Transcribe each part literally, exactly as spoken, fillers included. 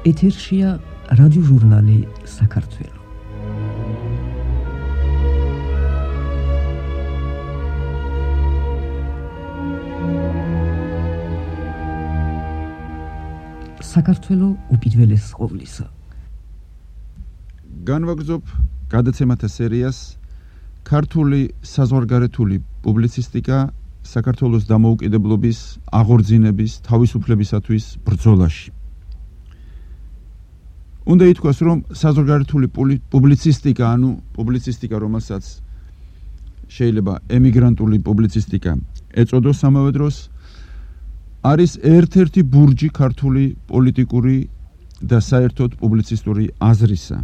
ეთერშია რადიოჟურნალი საქართველო. საქართველო უპირველეს ყოვლისა. განვაგრძობ გადაცემათა სერიას ქართული საზღვარგარეთული პუბლიცისტიკა საქართველოს დამოუკიდებლობის, აღორძინების, თავისუფლებისათვის ბრძოლაში. უნდა ითქვას, რომ საზღვარგარეთული პუბლიცისტიკა, ანუ პუბლიცისტიკა, რომელსაც შეიძლება ემიგრანტული პუბლიცისტიკა ეწოდოს ამავე დროს, არის ერთ-ერთი ბურჯი ქართული პოლიტიკური და საერთოდ პუბლიცისტური აზრისა.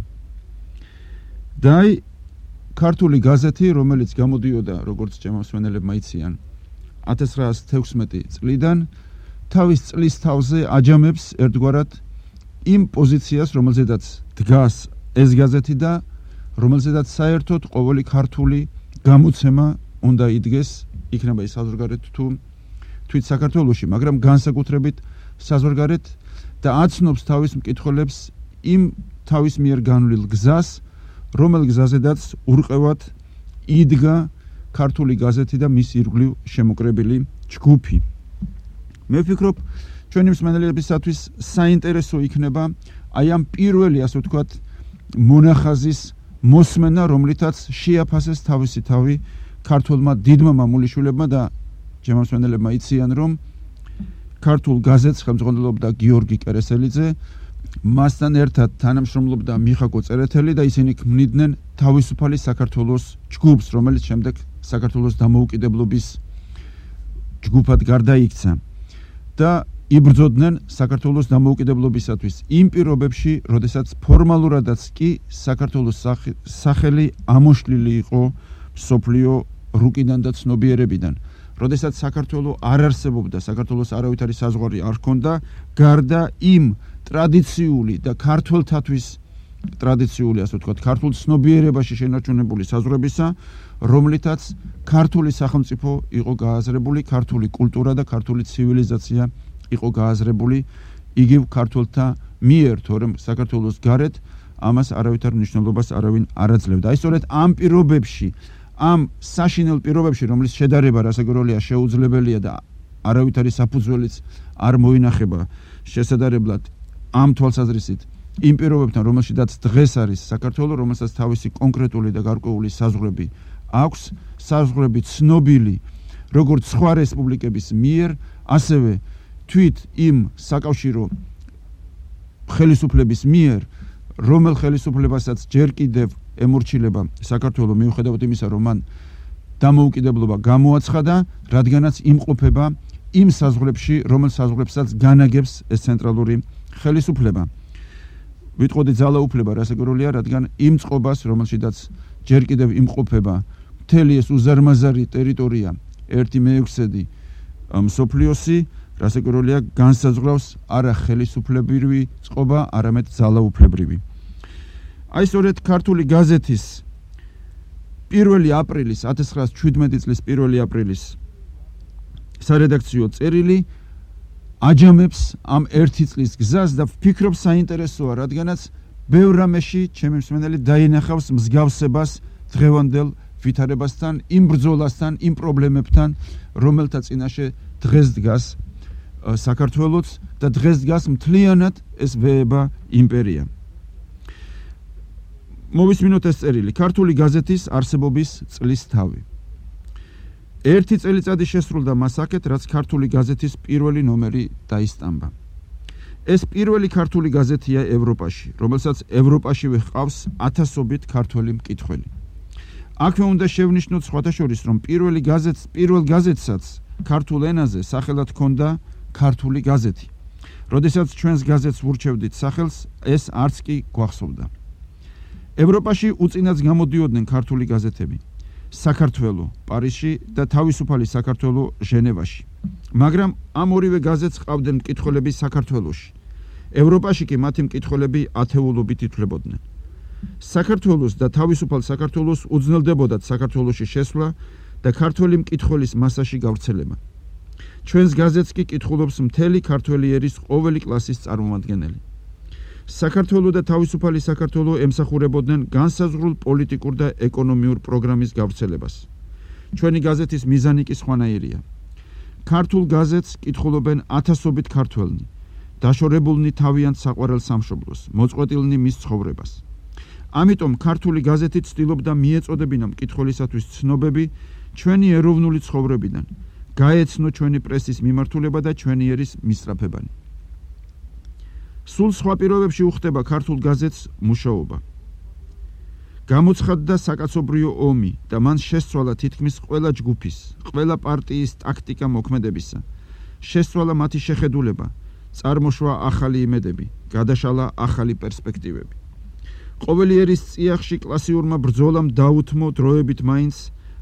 და აი ქართული გაზეთი, რომელიც გამოდიოდა, როგორც ჩემოსვენელებმა იციან, ათას ცხრაასი თექვსმეტი წლიდან თავის წლის თავზე აჯამებს ერთგვარად იმ პოზიციას, რომელზედაც დგას ეს გაზეთი და რომელზედაც საერთოდ ყოველი ქართული გამოცემა უნდა იდგეს, იქნება ის საზღვარგარეთ თუ თვით საქართველოში, მაგრამ განსაკუთრებით საზღვარგარეთ და აცნობს თავის მკითხველებს იმ თავის მიერ განვლილ გზას, რომელ გზაზედაც ურყევად იდგა ქართული გაზეთი და მის ირგვლივ შემოკრებილი ჯგუფი. მე ვფიქრობ, ჩვენი მსმენელებისათვის საინტერესო იქნება აი ამ პირველი, ასე ვთქვათ, მონახაზის მოსმენა, რომლითაც შეაფასეს თავისი თავი ქართულმა დიდმა მამულიშვილებმა და ჩემო მსმენელებმა იციან, რომ ქართულ გაზეთს ხელმძღვანელობდა გიორგი კერესელიძე, მასთან ერთად თანამშრომლობდა მიხაკო წერეთელი და ისინი ქმნიდნენ თავისუფალი საქართველოს ჯგუფს, რომელიც შემდეგ საქართველოს დამოუკიდებლობის ჯგუფად გარდაიქცა და იბრძოდნენ საქართველოს დამოუკიდებლობისათვის იმ პირობებში, როდესაც ფორმალურადაც კი საქართველოს სახელი ამოშლილი იყო მსოფლიო რუკიდან და ცნობიერებიდან. როდესაც საქართველო არ არსებობდა, საქართველოს არავითარი საზღვარი არ ჰქონდა, გარდა იმ ტრადიციული და ქართველთათვის ტრადიციული, ასე ვთქვათ, ქართულ ცნობიერებაში შენარჩუნებული საზღვრებისა, რომლითაც ქართული სახელმწიფო იყო გააზრებული, ქართული კულტურა და ქართული ცივილიზაცია იყო გააზრებული იგივ ქართველთა მიერ, თორემ საქართველოს გარეთ ამას არავითარ მნიშვნელობას არავინ არ აძლევდა. აი სწორედ ამ პირობებში, ამ საშინელ პირობებში, რომლის შედარება რასაკვირველია შეუძლებელია და არავითარი საფუძველიც არ მოინახება შესაძლებლად ამ თვალსაზრისით იმ პირობებთან, რომელშიც დღეს არის საქართველო, რომელსაც თავისი კონკრეტული და გარკვეული საზღვრები აქვს, საზღვრები ცნობილი როგორც სხვა რესპუბლიკების მიერ, ასევე თვით იმ საკავშირო ხელისუფლების მიერ, რომელ ხელისუფლებასაც ჯერ კიდევ ემორჩილება საქართველო, მიუხედავად იმისა, რომ მან დამოუკიდებლობა გამოაცხადა, რადგანაც იმყოფება იმ საზღვრებში, რომელ საზღვრებსაც განაგებს ეს ცენტრალური ხელისუფლება. ვიტყოდი ძალაუფლება, რასაკვირველია, რადგან იმ წყობას, რომელშიც ჯერ კიდევ იმყოფება მთელი ეს უზარმაზარი ტერიტორია, ერთი მეექვსედი მსოფლიოსი, რასაკვირველია, განსაზღვრავს არა ხელისუფლებრივი წყობა, არამედ ძალაუფლებრივი. აი სწორედ ქართული გაზეთის პირველი აპრილის, ათას ცხრაასი შვიდმეტი წლის პირველი აპრილის სარედაქციო წერილი აჯამებს ამ ერთი წლის გზას და ვფიქრობ საინტერესოა, რადგანაც ბევრ რამეში ჩემი მსმენელი დაინახავს მსგავსებას დღევანდელ ვითარებასთან, იმ ბრძოლასთან, იმ პრობლემებთან, რომელთა წინაშე დღეს დგას საქართველოც და დღეს დგას მთლიანად ეს ვეება იმპერია. მოვისმინოთ ეს წერილი, ქართული გაზეთის არსებობის წლის თავი. ერთი წელიწადი შესრულდა მას აქეთ, რაც ქართული გაზეთის პირველი ნომერი დაისტამბა. ეს პირველი ქართული გაზეთია ევროპაში, რომელსაც ევროპაშივე ჰყავს ათასობით ქართველი მკითხველი. აქვე უნდა შევნიშნოთ სხვათა შორის, რომ პირველი გაზეთს, პირველ გაზეთსაც ქართულ ენაზე სახელად ჰქონდა ქართული გაზეთი. როდესაც ჩვენს გაზეთს ვურჩევდით სახელს, ეს არც კი გვახსოვდა. ევროპაში უწინაც გამოდიოდნენ ქართული გაზეთები. საქართველო პარიზში და თავისუფალი საქართველო ჟენევაში. მაგრამ ამ ორივე გაზეთს ყავდნენ მკითხველები საქართველოში. ევროპაში კი მათი მკითხველები ათეულობით ითვლებოდნენ. საქართველოს და თავისუფალ საქართველოს უძნელდებოდათ საქართველოში შესვლა და ქართველი მკითხველის მასაში გავრცელება. ჩვენს გაზეთს კი კითხულობს მთელი ქართველი ერის ყოველი კლასის წარმომადგენელი. საქართველო და თავისუფალი საქართველო ემსახურებოდნენ განსაზღვრულ პოლიტიკურ და ეკონომიურ პროგრამის გავრცელებას. ჩვენი გაზეთის მიზანი კი სხვანაირია. ქართულ გაზეთს კითხულობენ ათასობით ქართველნი, დაშორებულნი თავიანთ საყვარელ სამშობლოს, მოწყვეტილნი მის ცხოვრებას. ამიტომ ქართული გაზეთი ცდილობდა მიეწოდებინა მკითხველისათვის ცნობები ჩვენი ეროვნული ცხოვრებიდან, გაეცნო ჩვენი პრესის მიმართულება და ჩვენი ერის მისწრაფებანი. სულ სხვა პირობებში უხდება ქართულ გაზეთს მუშაობა. გამოცხადდა საკაცობრიო ომი და მან შესცვალა თითქმის ყველა ჯგუფის, ყველა პარტიის ტაქტიკა მოქმედებისა. შესცვალა მათი შეხედულება, წარმოშვა ახალი იმედები, გადაშალა ახალი პერსპექტივები. ყოველი ერის წიაღში კლასიურმა ბრძოლამ დაუთმო დროებით მაინც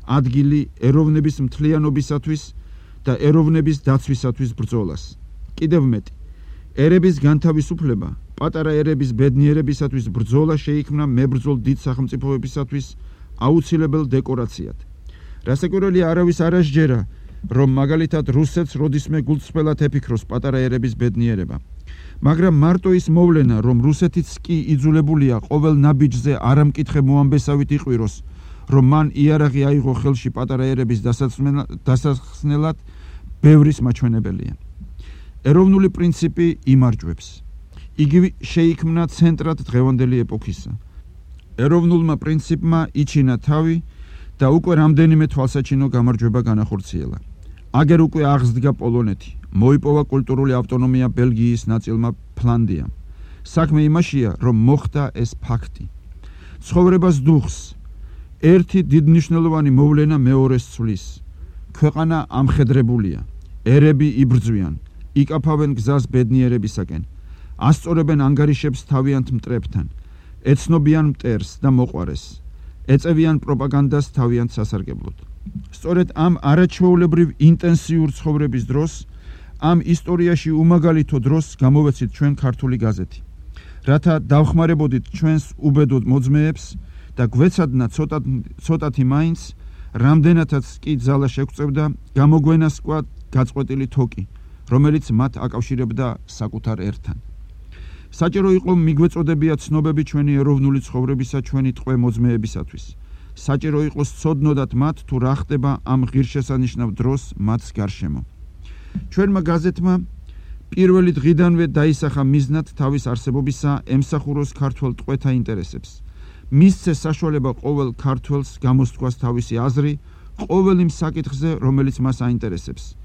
ადგილი ეროვნების მთლიანობისათვის და ეროვნების დაცვისათვის ბრძოლას. კიდევ მეტი, ერების განთავისუფლება, პატარა ერების ბედნიერებისათვის ბრძოლა შეიქმნა მებრძოლ დიდ სახელმწიფოებისათვის აუცილებელ დეკორაციად. რასაკვირველია, არავის არ ასჯერა, რომ მაგალითად რუსეთს როდისმე გულწრფელად ეფიქროს პატარა ერების ბედნიერება. მაგრამ მარტო ის მოვლენა, რომ რუსეთიც კი იძულებულია ყოველ ნაბიჯზე არამკითხე მოამბესავით იყვიროს, რომ მან იარაღი აიღო ხელში პატარა ერების დასახსნელად, ბევრის მაჩვენებელია. ეროვნული პრინციპი იმარჯვებს. იგი შეიქმნა ცენტრად დღევანდელი ეპოქისა. ეროვნულმა პრინციპმა იჩინა თავი და უკვე რამდენიმე თვალსაჩინო გამარჯვება განახორციელა. აგერ უკვე აღსდგა პოლონეთი, მოიპოვა კულტურული ავტონომია ბელგიის ნაწილმა ფლანდიამ. საქმე იმაშია, რომ მოხდა ეს ფაქტი. ცხოვრებას დუხს ერთი დიდმნიშვნელოვანი მოვლენა მეორეს ცვლის. ქვეყანა ამხედრებულია, ერები იბრძვიან, იკაფავენ გზას ბედნიერებისაკენ, ასწორებენ ანგარიშებს თავიანთ მტრებთან, ეცნობიან მტერს და მოყვარეს, ეწევიან პროპაგანდას თავიანთ სასარგებლოდ. სწორედ ამ არაჩვეულებრივ ინტენსიურ ცხოვრების დროს, ამ ისტორიაში უმაგალითო დროს გამოვეცით ჩვენ ქართული გაზეთი, რათა დავხმარებოდით ჩვენს უბედოდ მოძმეებს და გვეცადნა ცოტათი მაინც, რამდენადაც კი ძალა შეგვწევდა, გამოგვენასკვა გაწყვეტილი თოკი, რომელიც მათ აკავშირებდა საკუთარ ერთან. საჭირო იყო მიგვეწოდებია ცნობები ჩვენი ეროვნული ცხოვრებისა ჩვენი ტყვე მოძმეებისათვის. საჭირო იყო სცოდნოდათ მათ თუ რა ხდება ამ ღირსშესანიშნავ დროს მათს გარშემო. ჩვენმა გაზეთმა პირველი დღიდანვე დაისახა მიზნად თავის არსებობისა ემსახუროს ქართველ ტყვეთა ინტერესებს. მისცეს საშუალება ყოველ ქართველს გამოსთქვას თავისი აზრი ყოველ იმ საკითხზე, რომელიც მას აინტერესებს.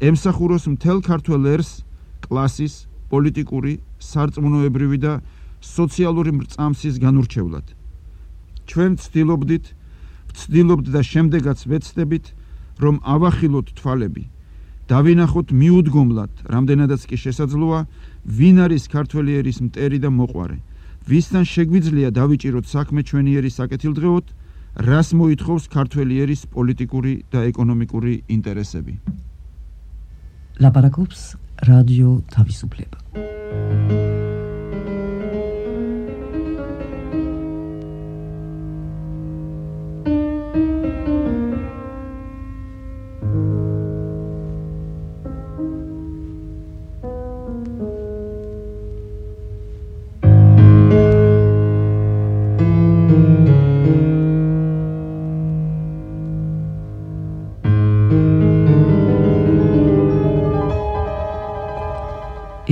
ემსახუროს მთელ ქართველ ერს, კლასის, პოლიტიკური, სარწმუნოებრივი და სოციალური მრწამსის განურჩევლად. ჩვენ ვცდილობდით, ვცდილობთ და შემდეგაც ვეცდებით, რომ ავახილოთ თვალები, დავინახოთ მიუდგომლად, რამდენადაც კი შესაძლოა, ვინ არის ქართველი ერის მტერი და მოყვარე, ვისთან შეგვიძლია დავიჭიროთ საქმე ჩვენი ერის საკეთილდღეოდ, რას მოითხოვს ქართველი ერის პოლიტიკური და ეკონომიკური ინტერესები. ლაპარაკობს რადიო თავისუფლება.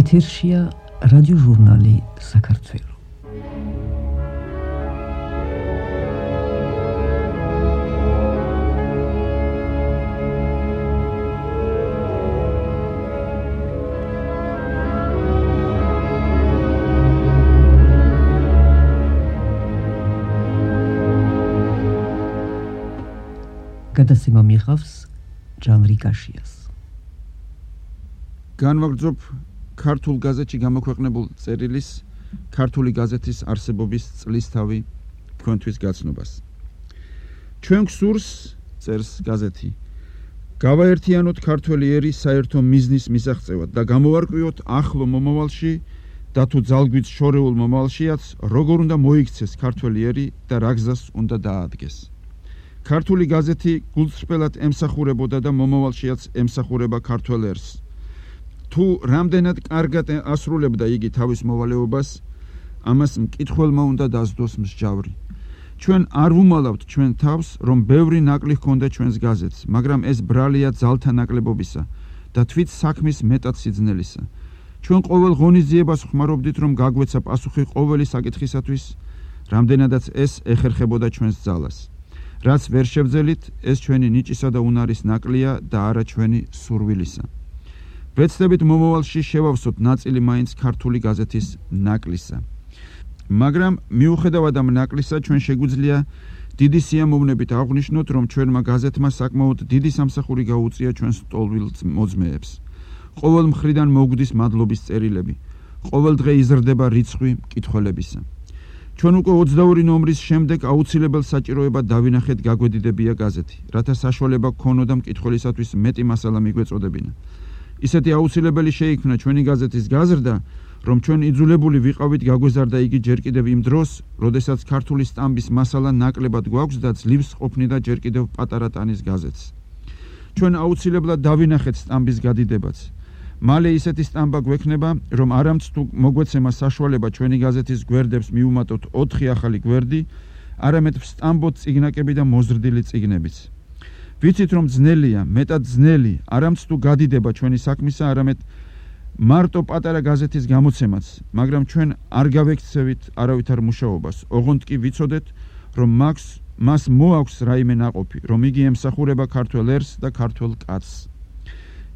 ეთერშია რადიო ჟურნალი საქართველო. გადაცემა მიიღავს ჯანრი კაშიას. განვაგრძობ ქართულ გაზეთში გამოქვეყნებულ წერილის ქართული გაზეთის არსებობის წლისთავი თქვენთვის გაცნობას. ჩვენ გსურს, წერს გაზეთი, გავაერთიანოთ ქართველი ერი საერთო მიზნის მისაღწევად და გამოვარკვიოთ ახლო მომავალში და თუ ძალგვით შორეულ მომავალშიაც როგორ უნდა მოიქცეს ქართველი ერი და რა გზას უნდა დაადგეს. ქართული გაზეთი გულწრფელად ემსახურებოდა და მომავალშიაც ემსახურება ქართველ ერს. თუ რამდენად კარგად ასრულებდა იგი თავის მოვალეობას, ამას მკითხველმა უნდა დასდოს მსჯავრი. ჩვენ არ ვუმალავთ ჩვენ თავს, რომ ბევრი ნაკლი ჰქონდა ჩვენს გაზეთს, მაგრამ ეს ბრალია ძალთა ნაკლებობისა და თვით საქმის მეტად სიძნელისა. ჩვენ ყოველ ღონისძიებას ხმარობდით, რომ გაგვეცა პასუხი ყოველი საკითხისათვის, რამდენადაც ეს ეხერხებოდა ჩვენს ძალას. რაც ვერ შევძელით, ეს ჩვენი ნიჭისა და უნარის ნაკლია და არა ჩვენი სურვილისა. ვეცდებით მომავალში შევავსოთ ნაწილი მაინც ქართული გაზეთის ნაკლისა. მაგრამ მიუხედავად ამ ნაკლისა, ჩვენ შეგვიძლია დიდი სიამოვნებით აღვნიშნოთ, რომ ჩვენმა გაზეთმა საკმაოდ დიდი სამსახური გაუწია ჩვენს ტოლვილ მოძმეებს. ყოველ მხრიდან მოგვდის მადლობის წერილები. ყოველ დღე იზრდება რიცხვი მკითხველებისა. ჩვენ უკვე ოცდაორი ნომრის შემდეგ აუცილებელ საჭიროებად დავინახეთ გაგვედიდებია გაზეთი, რათა საშუალება გქონოდა მკითხველისათვის მეტი მასალა მიგვეწოდებინა. ისეთი აუცილებელი შეიქმნა ჩვენი გაზეთის გაზრდა, რომ ჩვენ იძულებული ვიყავით გაგვეზარდა იგი ჯერ კიდევ იმ დროს, როდესაც ქართული სტამბის მასალა ნაკლებად გვაქვს და ძლივს ყოფნიდა ჯერ კიდევ პატარა ტანის გაზეთს. ჩვენ აუცილებლად დავინახეთ სტამბის გადიდებაც. მალე ისეთი სტამბა გვექნება, რომ არამც თუ მოგვეცემა საშუალება ჩვენი გაზეთის გვერდებს მიუმატოთ ოთხი ახალი გვერდი, არამედ ვსტამბოთ წიგნაკები და მოზრდილი წიგნებიც. ვიცით, რომ ძნელია, მეტად ძნელი, არამც თუ გადიდება ჩვენი საქმისა, არამედ მარტო პატარა გაზეთის გამოცემაც, მაგრამ ჩვენ არ გავექცევით არავითარ მუშაობას. ოღონდ კი ვიცოდეთ, რომ მაქს მას მოაქვს რაიმე ნაყოფი, რომ იგი ემსახურება ქართველ ერს და ქართველ კაცს.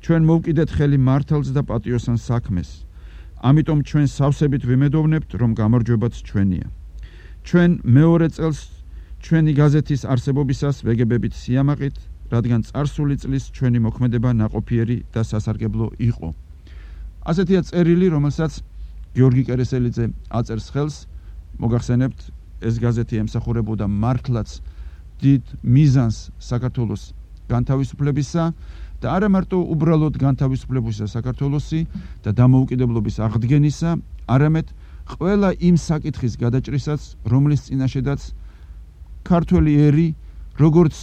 ჩვენ მოვკიდეთ ხელი მართალს და პატიოსან საქმეს. ამიტომ ჩვენ სავსებით ვიმედოვნებთ, რომ გამარჯვებაც ჩვენია. ჩვენ მეორე წელს ჩვენი გაზეთის არსებობისას ვეგებებით სიამაყით, რადგან წარსული წლის ჩვენი მოქმედება ნაყოფიერი და სასარგებლო იყო. ასეთია წერილი, რომელსაც გიორგი კერესელიძე აწერს ხელს. მოგახსენებთ, ეს გაზეთი ემსახურებოდა მართლაც დიდ მიზანს საქართველოს განთავისუფლებისა და არა მარტო უბრალოდ განთავისუფლებისა საქართველოსი და დამოუკიდებლობის აღდგენისა, არამედ ყველა იმ საკითხის გადაჭრისაც, რომლის წინაშედაც ქართველი ერი, როგორც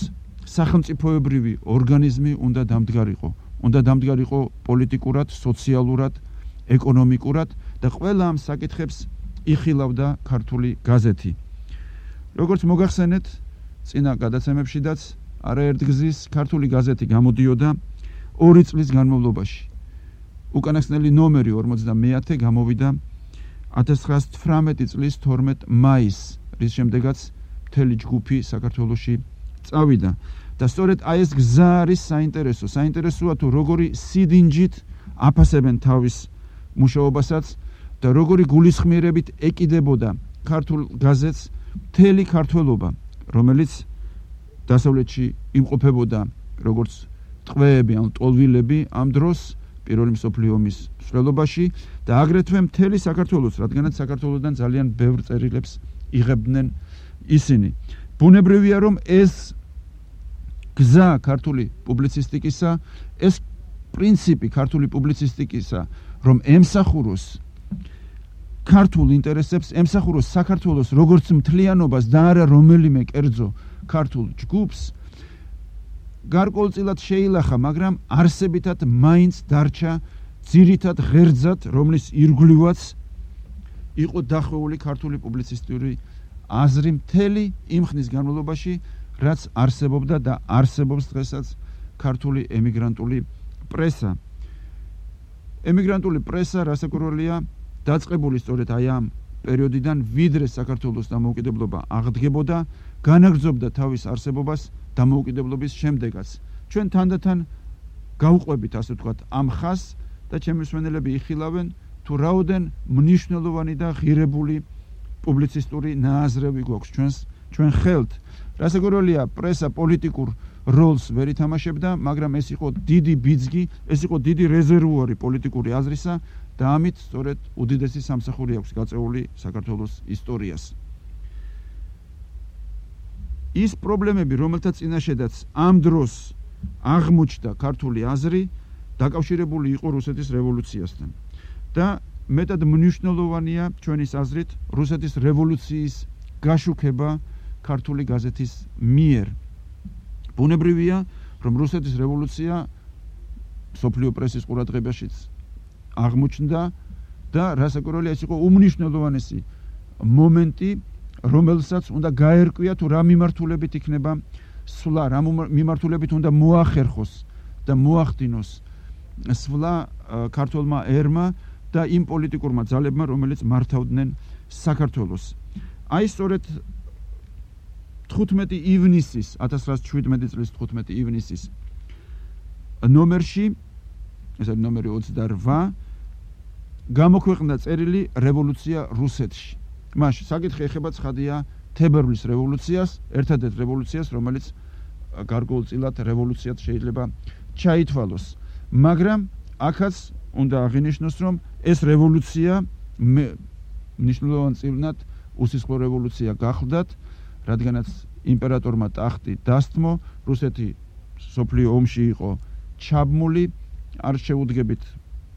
სახელმწიფოებრივი ორგანიზმი უნდა დამდგარიყო. უნდა დამდგარიყო პოლიტიკურად, სოციალურად, ეკონომიკურად და ყველა ამ საკითხებს იხილავდა ქართული გაზეთი. როგორც მოგახსენეთ, წინა გადაცემებშიდაც არაერთგზის ქართული გაზეთი გამოდიოდა ორი წლის განმავლობაში. უკანასკნელი ნომერი ორმოცდამეათე გამოვიდა ათას ცხრაას თვრამეტი წლის თორმეტ მაისს, რის შემდეგაც მთელი ჯგუფი საქართველოში წავიდა. და სწორედ აი ეს გზა არის საინტერესო. საინტერესოა თუ როგორი სიდინჯით აფასებენ თავის მუშაობასაც და როგორი გულისხმიერებით ეკიდებოდა ქართულ გაზეთს მთელი ქართველობა, რომელიც დასავლეთში იმყოფებოდა როგორც ტყვეები ან ტოლვილები ამ დროს პირველი მსოფლიო ომის მსვლელობაში და აგრეთვე მთელი საქართველოს, რადგანაც საქართველოსდან ძალიან ბევრ წერილებს იღებდნენ ისინი. ბუნებრივია, რომ ეს გზა ქართული პუბლიცისტიკისა, ეს პრინციპი ქართული პუბლიცისტიკისა, რომ ემსახუროს ქართულ ინტერესებს, ემსახუროს საქართველოს როგორც მთლიანობას და არა რომელიმე კერძო ქართულ ჯგუფს, გარკვეულწილად შეილახა, მაგრამ არსებითად მაინც დარჩა ძირითად ღერძად, რომლის ირგვლივაც იყო დახვეული ქართული პუბლიცისტური აზრი მთელი იმ ხნის განმავლობაში, რაც არსებობდა და არსებობს დღესაც ქართული ემიგრანტული პრესა. ემიგრანტული პრესა, რასაკვირველია, დაწყებული სწორედ აი ამ პერიოდიდან, ვიდრე საქართველოს დამოუკიდებლობა აღდგებოდა, განაგრძობდა თავის არსებობას დამოუკიდებლობის შემდეგაც. ჩვენ თანდათან გავყვებით, ასე ვთქვათ, ამ ხაზს და ჩემი მსმენელები იხილავენ, თუ რაოდენ მნიშვნელოვანი და ღირებული პუბლიცისტური ნააზრევი გვაქვს ჩვენს ჩვენ ხელთ. რასაკვირველია, პრესა პოლიტიკურ როლს ვერ ითამაშებდა, მაგრამ ეს იყო დიდი ბიძგი, ეს იყო დიდი რეზერვუარი პოლიტიკური აზრისა და ამით სწორედ უდიდესი სამსახური აქვს გაწეული საქართველოს ისტორიას. ის პრობლემები, რომელთა წინაშედაც ამ დროს აღმოჩნდა ქართული აზრი, დაკავშირებული იყო რუსეთის რევოლუციასთან. და მეტად მნიშვნელოვანია ჩვენის აზრით რუსეთის რევოლუციის გაშუქება ქართული გაზეთის მიერ. ბუნებრივია, რომ რუსეთის რევოლუცია მსოფლიო პრესის ყურადღებაშიც აღმოჩნდა და რასაკვირველია, ეს იყო უმნიშვნელოვანესი მომენტი, რომელსაც უნდა გაერკვია თუ რა მიმართულებით იქნება სვლა, რა მიმართულებით უნდა მოახერხოს და მოახდინოს სვლა ქართულმა ერმა და იმ პოლიტიკურმა ძალებმა, რომელიც მართავდნენ საქართველოს. აი სწორედ თხუთმეტი ივნისის ათას რვაასი შვიდმეტი წლის თხუთმეტი ივნისის ნომერში, ეს არის ნომერი ოცდარვა, გამოქვეყნდა წერილი რევოლუცია რუსეთში. მაშინ საკითხი ეხება ცხადია თებერვლის რევოლუციას, ერთადერთ რევოლუციას, რომელიც გარკვეულწილად რევოლუციად შეიძლება ჩაითვალოს. მაგრამ აქაც უნდა აღინიშნოს, რომ ეს რევოლუცია მნიშვნელოვანწილად უსისხლო რევოლუცია გახლდათ, რადგანაც იმპერატორმა ტახტი დასთმო, რუსეთი სოფლიო ომში იყო ჩაბმული, არ შეუდგებით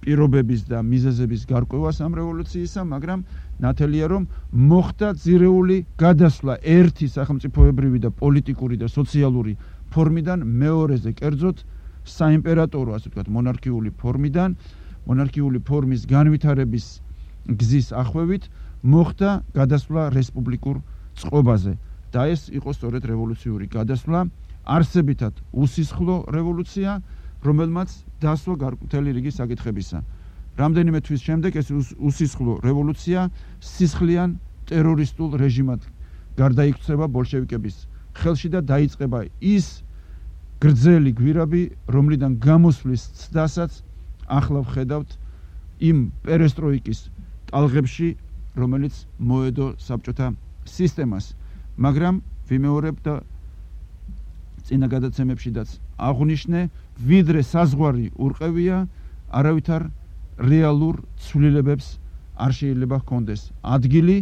პირობების და მიზეზების გარკვევას ამ რევოლუციისა, მაგრამ ნათელია, რომ მოხდა ძირეული გადასვლა ერთი სახელმწიფოებრივი და პოლიტიკური და სოციალური ფორმიდან მეორეზე, კერძოდ საიმპერატორო, ასე ვთქვათ, მონარქიული ფორმიდან, მონარქიული ფორმის განვითარების გზის ახვევით მოხდა გადასვლა რესპუბლიკურ წყობაზე. და ეს იყო სწორედ რევოლუციური გადასვლა, არსებითად უსისხლო რევოლუცია, რომელმაც დასვა მთელი რიგი საკითხებისა. რამდენიმე თვის შემდეგ ეს უსისხლო რევოლუცია სისხლიან ტერორისტულ რეჟიმად გარდაიქცევა ბოლშევიკების ხელში და დაიწყება ის გრძელი გვირაბი, რომლიდან გამოსვლის ცდასაც ახლა ვხედავთ იმ პერესტროიკის ტალღებში, რომელიც მოედო საბჭოთა სისტემას. მაგრამ ვიმეორებ და წინა გადაცემებშიდაც აღვნიშნე, ვიდრე საზღვარი ურყევია, არავითარ რეალურ ცვლილებებს არ შეიძლება ჰქონდეს ადგილი,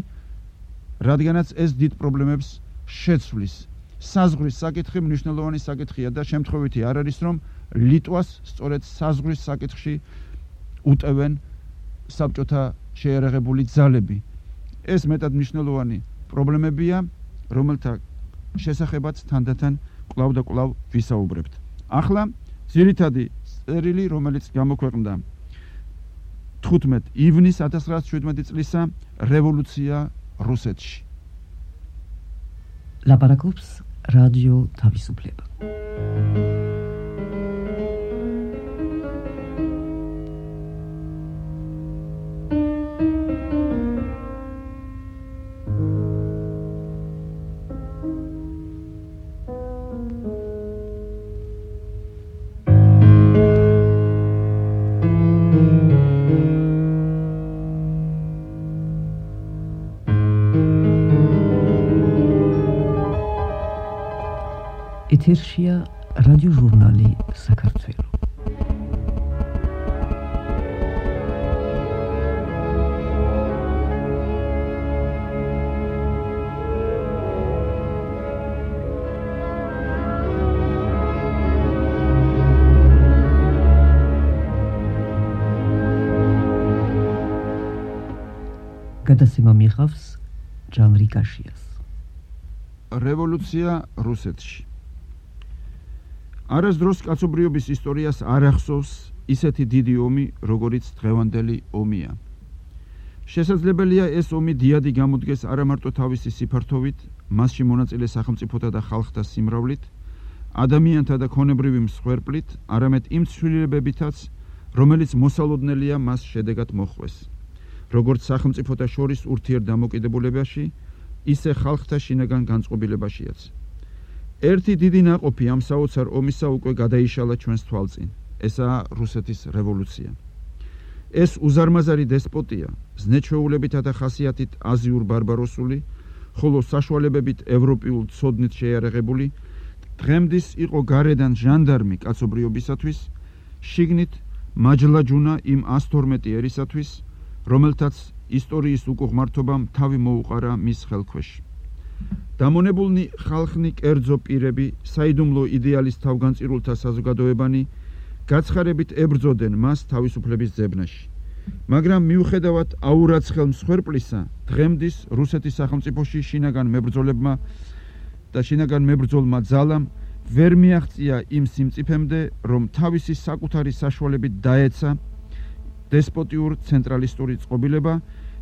რადგანაც ეს დიდ პრობლემებს შეცვლის. საზღვრის საკითხი მნიშვნელოვანი საკითხია და შემთხვევითი არ არის, რომ ლიტვას სწორედ საზღვრის საკითხში უტევენ საბჭოთა შეიარაღებული ძალები. ეს მეტად მნიშვნელოვანი პრობლემებია, რომელთა შესახებაც თანდათან კვლავ და კვლავ ვისაუბრებთ. ახლა ძირითადი წერილი, რომელიც გამოქვეყნდა თხუთმეტ ივნისს ათას რვაასი შვიდმეტი წლისა, რევოლუცია რუსეთში. ლაპარაკობს რადიო თავისუფლება. ეთერშია რადიო ჟურნალი საქართველო. გადაცემა მიიღავს ჯანრი კაშიას. რევოლუცია რუსეთში. არასდროს კაცობრიობის ისტორიას არ ახსოვს ისეთი დიდი ომი, როგორიც დღევანდელი ომია. შესაძლებელია ეს ომი დიადი გამოდგეს არა მარტო თავისი სიფართოვით, მასში მონაწილე სახელმწიფოთა და ხალხთა სიმრავლით, ადამიანთა და ქონებრივი მსხვერპლით, არამედ იმ ცვლილებებითაც, რომელიც მოსალოდნელია მას შედეგად მოხვეს. როგორც სახელმწიფოთა შორის ურთიერთდამოკიდებულებაში, ისე ხალხთა შინაგან განწყობილებაშიაც. ერთი დიდი ნაყოფი ამ საოცარ ომისა უკვე გადაიშალა ჩვენს თვალწინ. ესაა რუსეთის რევოლუცია. ეს უზარმაზარი დესპოტია, ზნეჩვეულებითა და ხასიათით აზიურ ბარბაროსული, ხოლო საშუალებებით ევროპიულ ცოდნით შეიარაღებული, დღემდის იყო გარედან ჟანდარმი კაცობრიობისათვის, შიგნით მაჯლაჯუნა იმ ას თორმეტი ერისათვის, რომელთაც ისტორიის უკუღმართობამ თავი მოუყარა მის ხელქვეშ. დამონებულნი ხალხნი, კერძო პირები, საიდუმლო იდეალის თავგანწირულთა საზოგადოებანი გაცხარებით ებრძოდნენ მას თავისუფლების ძებნაში. მაგრამ მიუხედავად აურაცხელ მსხვერპლისა, დღემდის რუსეთის სახელმწიფოში შინაგან მებრძოლებმა და შინაგან მებრძოლმა ძალამ ვერ მიაღწია იმ სიმწიფემდე, რომ თავისი საკუთარი საშუალებით დაეცა დესპოტიურ ცენტრალისტური წყობილება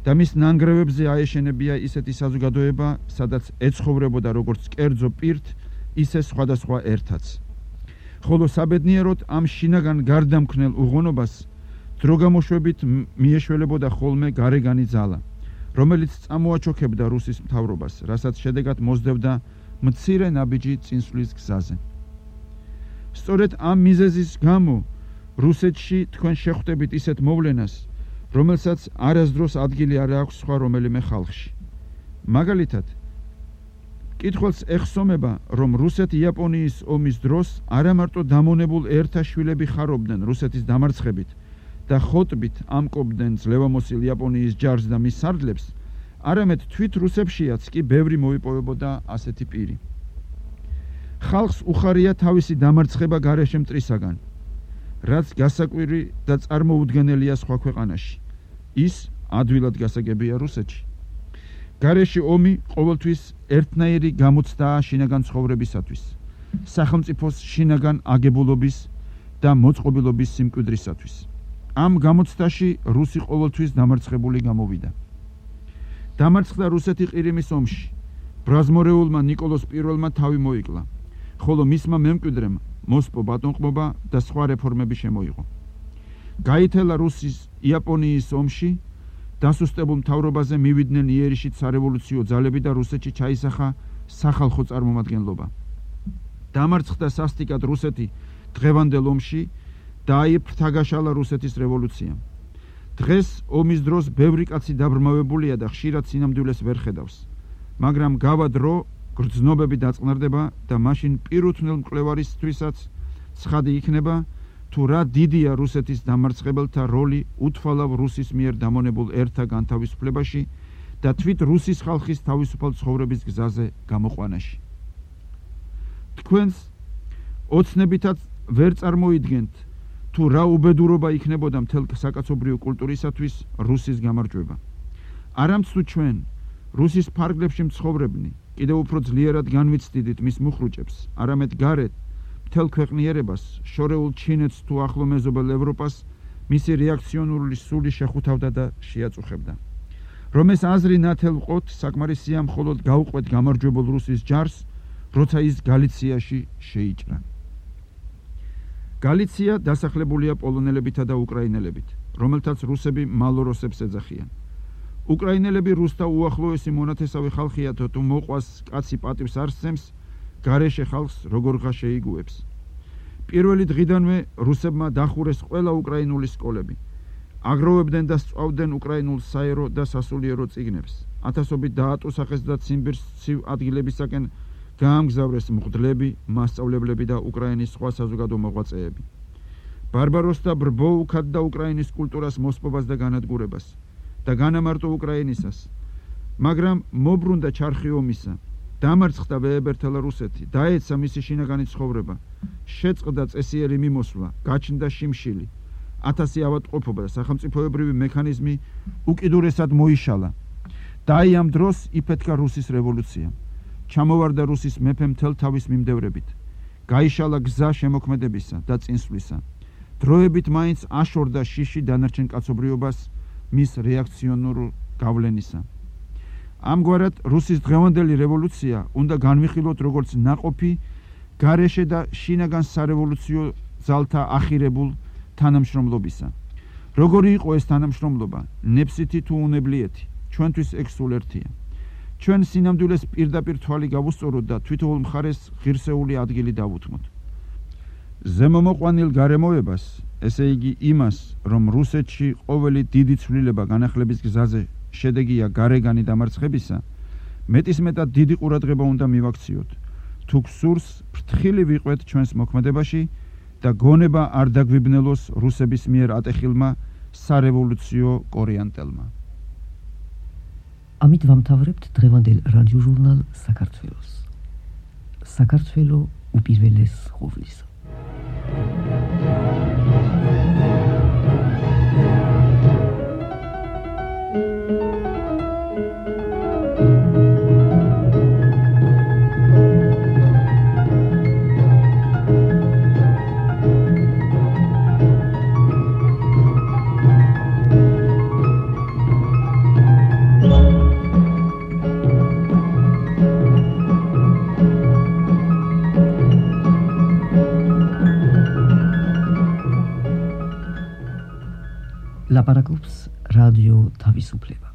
და მის ნანგრევებზე აეშენებია ისეთი საზოგადოება, სადაც ეცხოვრებოდა როგორც კერძო პირთ, ისე სხვადასხვა ერთაც. ხოლო საბედნიეროდ ამ შინაგან გარდამქმნელ უღონობას დროგამოშვებით მიეშველებოდა ხოლმე გარეგანი ძალა, რომელიც წამოაჩოქებდა რუსის მთავრობას, რასაც შედეგად მოსდევდა მცირე ნაბიჯი წინსვლის გზაზე. სწორედ ამ მიზეზის გამო რუსეთში თქვენ შეხვდებით ისეთ მოვლენას, რომელსაც არასდროს ადგილი არ აქვს სხვა რომელიმე ხალხში. მაგალითად, კითხველს ეხსომება, რომ რუსეთ-იაპონიის ომის დროს არამარტო დამონებულ ერთა შვილები ხარობდნენ რუსეთის დამარცხებით და ხოტბით ამკობდნენ ძლევამოსილ იაპონიის ჯარს და მის სარდლებს, არამედ თვით რუსებშიაც კი ბევრი მოიპოვებოდა ასეთი პირი. ხალხს უხარია თავისი დამარცხება გარეშე მტრისაგან, რაც გასაკვირი და წარმოუდგენელია სხვა ქვეყანაში. ის ადვილად გასაგებია რუსეთში. გარეშე ომი ყოველთვის ერთნაირი გამოცდაა შინაგან ცხოვრებისათვის, სახელმწიფოს შინაგან აგებულობის და მოწყობილობის სიმკვიდრისათვის. ამ გამოცდაში რუსი ყოველთვის დამარცხებული გამოვიდა. დამარცხდა რუსეთი ყირიმის ომში. ბრაზმორეულმა ნიკოლოს პირველმა თავი მოიკლა, ხოლო მისმა მემკვიდრემ მოსპო ბატონყმობა და სხვა რეფორმები შემოიღო. გაითელა რუსის იაპონიის ომში, დასუსტებულ მთავრობაზე მივიდნენ იერიშით სარევოლუციო ძალები და რუსეთში ჩაისახა სახალხო წარმომადგენლობა. დამარცხდა სასტიკად რუსეთი დღევანდელ ომში და აიფრთაგაშალა რუსეთის რევოლუციამ. დღეს ომის დროს ბევრი კაცი დაბრმავებულია და ხშირად სინამდვილეს ვერ ხედავს, მაგრამ გავა დრო გრძნობები დაწყნარდება და მაშინ პირუთვნელ მკვლევარისთვისაც ცხადი იქნება, თუ რა დიდია რუსეთის დამარცხებელთა როლი უთვალავ რუსის მიერ დამონებულ ერთა განთავისუფლებაში და თვით რუსის ხალხის თავისუფალ ცხოვრების გზაზე გამოყვანაში. თქვენს ოცნებითაც ვერ წარმოიდგენთ, თუ რა უბედურობა იქნებოდა მთელ საკაცობრიო კულტურისათვის რუსის გამარჯვება. არამცუ ჩვენ, რუსის ფარგლებში მცხოვრებნი, კიდევ უფრო ძლიერად განვიცდიდით მის მუხრუჭებს, არამედ გარეთ მთელ ქვეყნიერებას, შორეულ ჩინეთს თუ ახლო მეზობელ ევროპას მისი რეაქციონული სული შეხუთავდა და შეაწუხებდა. რომ ეს აზრი ნათელ ვყოთ, საკმარისია მხოლოდ გაუყვეთ გამარჯვებულ რუსის ჯარს, როცა ის გალიციაში შეიჭრა. გალიცია დასახლებულია პოლონელებითა და უკრაინელებით, რომელთაც რუსები მალოროსებს ეძახიან. უკრაინელები რუსთა უახლოესი მონათესავე ხალხია, თუ მოყვას კაცი პატივს არ სცემს, გარეშე ხალხს როგორღა შეიგუებს. პირველი დღიდანვე რუსებმა დახურეს ყველა უკრაინული სკოლები. აგროვებდნენ და სწავლდნენ უკრაინულ საერო და სასულიერო წიგნებს. ათასობით დაატუსახეს და ციმბირს ცივ ადგილებისაკენ გაამგზავრეს მღვდლები, მასწავლებლები და უკრაინის სხვა საზოგადო მოღვაწეები. ბარბაროსთა ბრბო უქადდა უკრაინის კულტურას მოსპობას და განადგურებას და განამარტო უკრაინისას, მაგრამ მობრუნდა ჩარხი ომისა. დამარცხდა ვეებერთელა რუსეთი, დაეცა მისი შინაგანი ცხოვრება, შეწყდა წესიერი მიმოსვლა, გაჩნდა შიმშილი, ათასი ავადმყოფობა და სახელმწიფოებრივი მექანიზმი უკიდურესად მოიშალა. და აი ამ დროს იფეთქა რუსის რევოლუცია. ჩამოვარდა რუსის მეფე მთელ თავის მიმდევრებით. გაიშალა გზა შემოქმედებისა და წინსვლისა. დროებით მაინც აშორდა შიში დანარჩენ კაცობრიობას მის რეაქციონურ გავლენისა. ამგვარად რუსის დღევანდელი რევოლუცია უნდა განვიხილოთ როგორც ნაყოფი გარეშე და შინაგან სარევოლუციო ძალთა ახირებულ თანამშრომლობისა. როგორი იყო ეს თანამშრომლობა, ნებსითი თუ უნებლიეთი, ჩვენთვის ეგ სულ ერთია. ჩვენ სინამდვილეს პირდაპირ თვალი გავუსწოროთ და თვითოულ მხარეს ღირსეული ადგილი დავუთმოთ. ზემომოყვანილ გარემოებას, ესე იგი იმას, რომ რუსეთში ყოველი დიდი ცვლილება განახლების გზაზე შედეგია გარეგანი დამარცხებისა, მეტისმეტად დიდი ყურადღება უნდა მივაქციოთ. თუ გსურს, ფრთხილი ვიყვეთ ჩვენს მოქმედებაში და გონება არ დაგვიბნელოს რუსების მიერ ატეხილმა სარევოლუციო კორიანტელმა. ამით ვამთავრებთ დღევანდელ რადიო ჟურნალ საქართველოს. საქართველო უპირველეს ყოვლისა. ლაპარაკობს რადიო თავისუფლება.